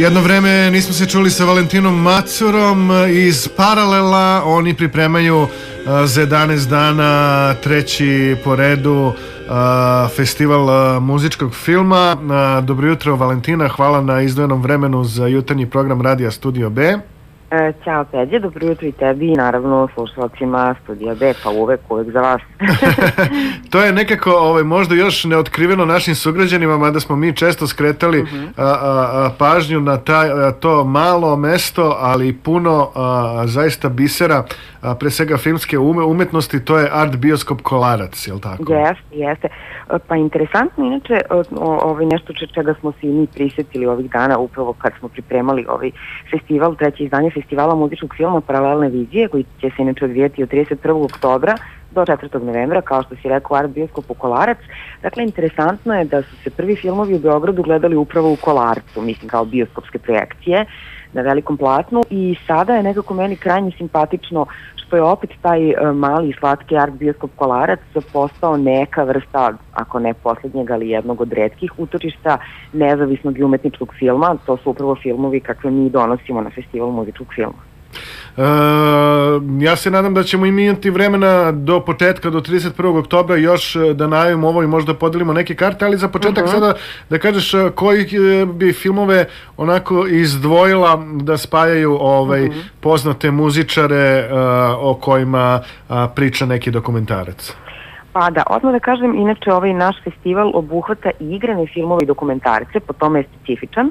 Jedno vreme nismo se čuli sa Valentinom Macurom iz Paralela. Oni pripremaju za 11 dana treći po redu festival muzičkog filma. Dobro jutro, Valentina, hvala na izdvojenom vremenu za jutarnji program Radija Studio B. Ćao Peđe, dobro jutro i tebi i naravno slušalcima Studija B, pa uvek za vas. To je nekako možda još neotkriveno našim sugrađanima, mada smo mi često skretali pažnju na to malo mesto, ali puno zaista bisera, pre svega filmske umetnosti, to je Art Bioskop Kolarac, je li tako? Jeste. Pa interesantno, inače, nešto čega smo se i mi prisjetili ovih dana, upravo kad smo pripremali ovaj festival, treće izdanje festivala muzičkog filma Paralelne vizije, koji će se inače odvijeti od 31. oktobra do 4. novembra, kao što si rekao, Art Bioskop u Kolarac. Dakle, interesantno je da su se prvi filmovi u Beogradu gledali upravo u Kolarcu, mislim kao bioskopske projekcije na velikom platnu, i sada je nekako meni krajnje simpatično što je opet taj mali i slatki Art Bioskop Kolarac postao neka vrsta, ako ne poslednjeg, ali jednog od retkih utočišta nezavisnog i umetničkog filma. To su upravo filmovi kakve mi donosimo na festival muzičkog filma. Ja se nadam da ćemo imati vremena do početka, do 31. oktobra još da najavimo ovo i možda podelimo neke karte, ali za početak sada da kažeš koji bi filmove onako izdvojila da spajaju poznate muzičare o kojima priča neki dokumentarac. Pa da, odmah da kažem, inače ovaj naš festival obuhvata i igrane filmove i dokumentarce, po tome je specifičan.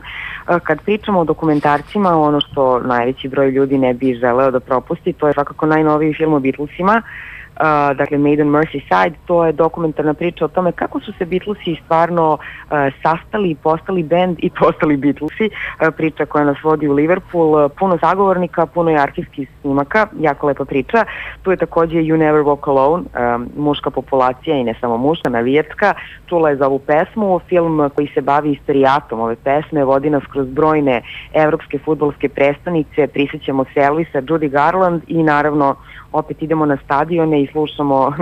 Kad pričamo o dokumentarcima, ono što najveći broj ljudi ne bi želeo da propusti, to je svakako najnoviji film o Beatlesima, dakle Made on Merseyside. To je dokumentarna priča o tome kako su se Beatlesi stvarno sastali, postali band i postali Beatlesi. Priča koja nas vodi u Liverpool, puno sagovornika, puno je arhivskih snimaka, jako lepa priča. Tu je takođe You Never Walk Alone, muška populacija i ne samo muška, navijačka, čula je za ovu pesmu. Film koji se bavi istorijatom ove pesme, vodi nas kroz brojne evropske fudbalske prestonice, prisjećamo se Elvisa, Judy Garland i naravno opet idemo na stadione i slušamo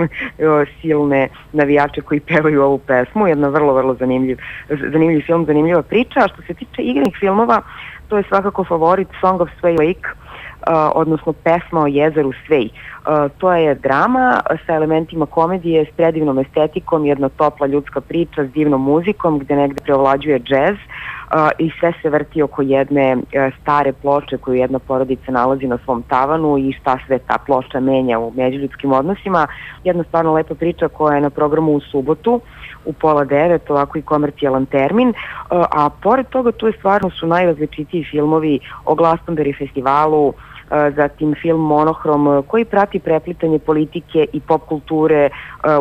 silne navijače koji pevaju ovu pesmu. Jedna vrlo zanimljiv film, zanimljiva priča. A što se tiče igranih filmova, to je svakako favorit Song of Sway Lake, odnosno pesma o jezeru Svej. To je drama sa elementima komedije, s predivnom estetikom, jedna topla ljudska priča s divnom muzikom gde negde preovlađuje džez, i sve se vrti oko jedne stare ploče koju jedna porodica nalazi na svom tavanu i šta sve ta ploča menja u međuljudskim odnosima. Jedna stvarno lepa priča koja je na programu u subotu u 8:30, ovako i komercijalan termin, a pored toga tu je stvarno su najrazličitiji filmovi o Glastonbury festivalu, zatim film Monohrom koji prati preplitanje politike i pop kulture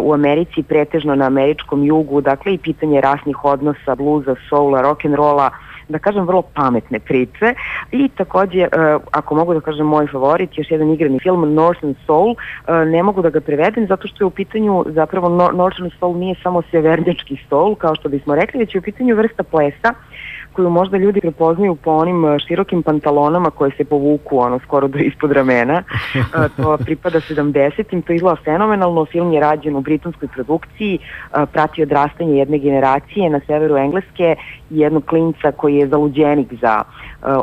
u Americi, pretežno na američkom jugu, dakle i pitanje rasnih odnosa, bluza, soula, rock'n'rolla, da kažem vrlo pametne priče. I takođe, ako mogu da kažem moj favorit, još jedan igrani film Northern Soul, ne mogu da ga prevedem zato što je u pitanju, zapravo Northern Soul nije samo severnjački soul kao što bismo rekli, već je u pitanju vrsta plesa koju možda ljudi prepoznaju po onim širokim pantalonama koje se povuku skoro do ispod ramena. To pripada 70-im, to izgleda fenomenalno. Film je rađen u britanskoj produkciji, prati odrastanje jedne generacije na severu Engleske i jednog klinca koji je zaluđenik za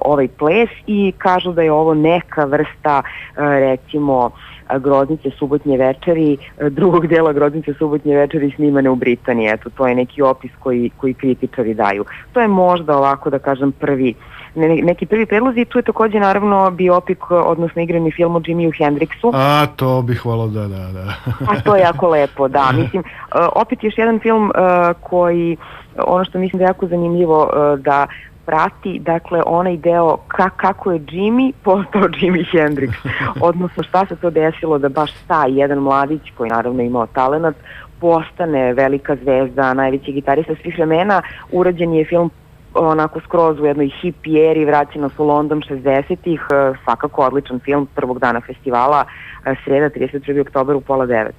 ovaj ples i kažu da je ovo neka vrsta, recimo, Groznice subotnje večeri, drugog dela Groznice subotnje večeri snimane u Britaniji. Eto, to je neki opis koji kritičari daju. To je možda ovako da kažem neki prvi predlozi. Tu je takođe naravno biopik, odnosno igrani film o Jimiju Hendrixu. A, to bih volao da. A to je jako lepo, da. Mislim, opet još jedan film koji, ono što mislim da je jako zanimljivo da prati, dakle, onaj deo kako je Jimmy postao Jimi Hendrix, odnosno šta se to desilo da baš taj jedan mladić, koji naravno imao talenat, postane velika zvezda, najveći gitarista svih vremena. Urađen je film onako skroz u jednoj hippie eri, vraća nas u London 60-ih, svakako odličan film prvog dana festivala, sreda 31. oktober u 8:30.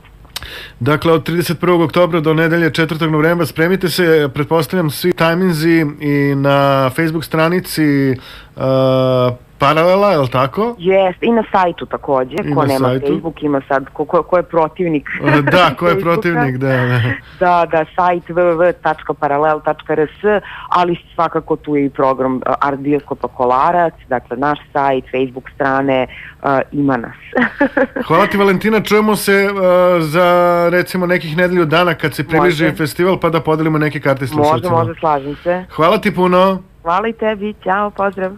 Dakle, od 31. oktobra do nedelje 4. novembra spremite se, pretpostavljam svi tajminzi i na Facebook stranici Paralela, je li tako? Jest, i na sajtu takođe, I ko na nema sajtu. Facebook, ima sad, ko je protivnik. Da, ko je Facebooka. protivnik, da. Da, sajt www.paralel.rs, ali svakako tu je i program Art Bioskopa Kolarac, dakle naš sajt, Facebook strane, ima nas. Hvala ti, Valentina, čujemo se za recimo nekih nedelju dana kad se približi festival, pa da podelimo neke karte slušalcima. Može, slažem se. Hvala ti puno. Hvala i tebi, ćao, pozdrav.